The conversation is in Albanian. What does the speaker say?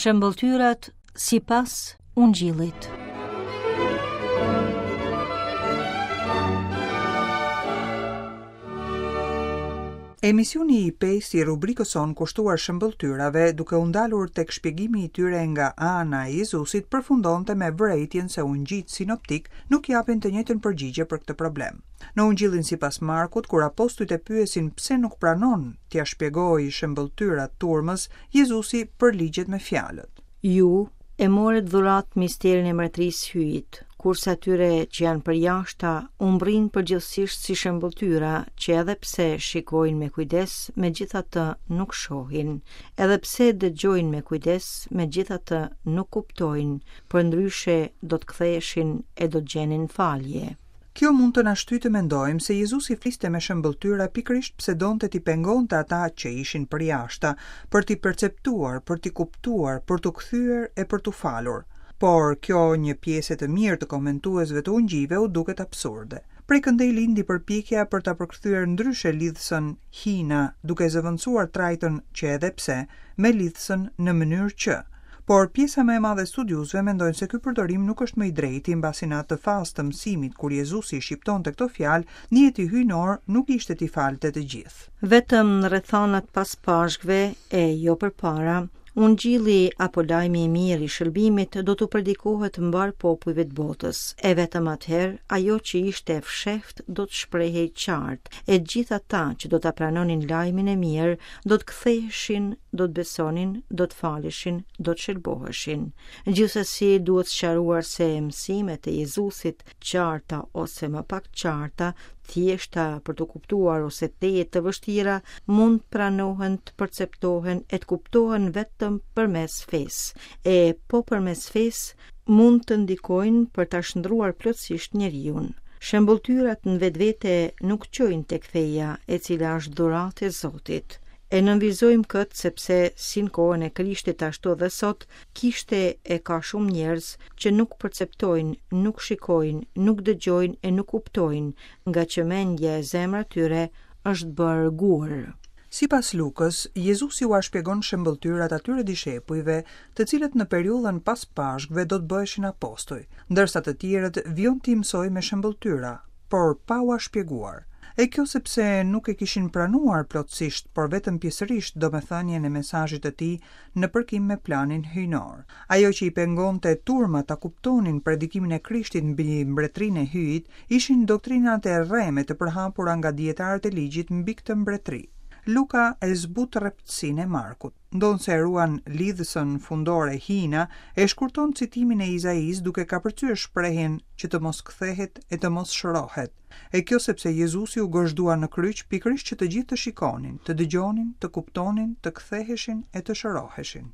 Shëmbëlltyrat sipas Ungjillit. Emisioni i pestë i rubrikës sonë kushtuar shëmbëlltyrave, duke u ndalur tek shpjegimi i tyre nga ana e Jezusit, përfundonte me vërejtjen se ungjijtë sinoptikë nuk japin të njëjtën përgjigje për këtë problem. Në Ungjillin sipas Markut, kur apostujt e pyesin pse nuk pranon t'ia shpjegojë shëmbëlltyrat turmës, Jezusi përligjet me fjalët. Ju e morët dhuratë misterin e mbretërisë së Hyjit, kurse atyre që janë përjashta u mbërrin përgjithësisht si shëmbëlltyra që edhe pse shikojnë me kujdes, megjithatë nuk shohin, edhe pse dëgjojnë me kujdes, megjithatë nuk kuptojnë, përndryshe do të ktheheshin e do të gjenin falje. Kjo mund të na shtyjë të mendojmë se Jezusi fliste me shëmbëlltyra pikërisht pse donte t'i pengonte ata që ishin përjashta, për t'i perceptuar, për t'i kuptuar, për t'u kthyer e për t'u falur. Por, kjo një pjese të mirë të komentuesve të ungjijve u duket absurde. Prej këndej lindi përpjekja për ta përkthyer ndryshe lidhësën hina, duke zëvendësuar trajtën që edhe pse me lidhësën në mënyrë që. Por pjesa më e madhe e studiuesve mendojnë se ky përdorim nuk është më i drejti, mbasi në atë fazë të mësimit kur Jezusi i shqiptonte këto fjalë, nijeti hyjnor nuk ishte t'i falte të gjithë. Vetëm në rrethanat pas Pashkëve e jo përpara, Ungjilli apo lajmi i mirë i shëlbimit do t'u predikohet mbarë popujve të botës, e vetëm atëherë ajo që ishte e fshehtë do të shprehej qartë, e gjithë ata që do ta pranonin lajmin e mirë do të ktheheshin, do të besonin, do të faleshin, do të shëlboheshin. Gjithsesi duhet sqaruar se mësimet e Jezusit, qarta ose më pak qarta, thjeshta për t'u kuptuar ose tejet të vështira, mund të pranohen, të perceptohen e të kuptohen vetëm përmes fesë. E po përmes fesë mund të ndikojnë për ta shndërruar plotësisht njeriun. Shëmbëlltyrat në vetvete nuk çojnë tek feja, e cila është dhuratë e Zotit. E nënvizojmë këtë sepse si në kohën e Krishtit ashtu edhe sot, kishte e ka shumë njerëz që nuk perceptojnë, nuk shikojnë, nuk dëgjojnë e nuk kuptojnë, ngaqë mendja e zemra e tyre është bërë gur. Sipas Lukës, Jezusi ua shpjegon shëmbëlltyrat atyre dishepujve, të cilët në periudhën pas Pashkëve do të bëheshin apostuj, ndërsa të tjerët vijon t'i mësojë me shëmbëlltyra, por pa ua shpjeguar. E kjo sepse nuk e kishin pranuar plotësisht, por vetëm pjesërisht domethënien e mesazhit të tij në përkim me planin hyjnor. Ajo që i pengonte turmat ta kuptonin predikimin e Krishtit mbi mbretërinë e Hyjit, ishin doktrinat e rreme të përhapura nga dijetarët e ligjit mbi këtë mbretëri. Luka e zbut rreptësinë e Markut. Ndonëse e ruan lidhësën fundore hina, e shkurton citimin e Izaisë duke kapërcyer shprehjen që të mos kthehet e të mos shërohet. E kjo sepse Jezusi u gozhdua në kryq pikërisht që të gjithë të shikonin, të dëgjonin, të kuptonin, të ktheheshin e të shëroheshin.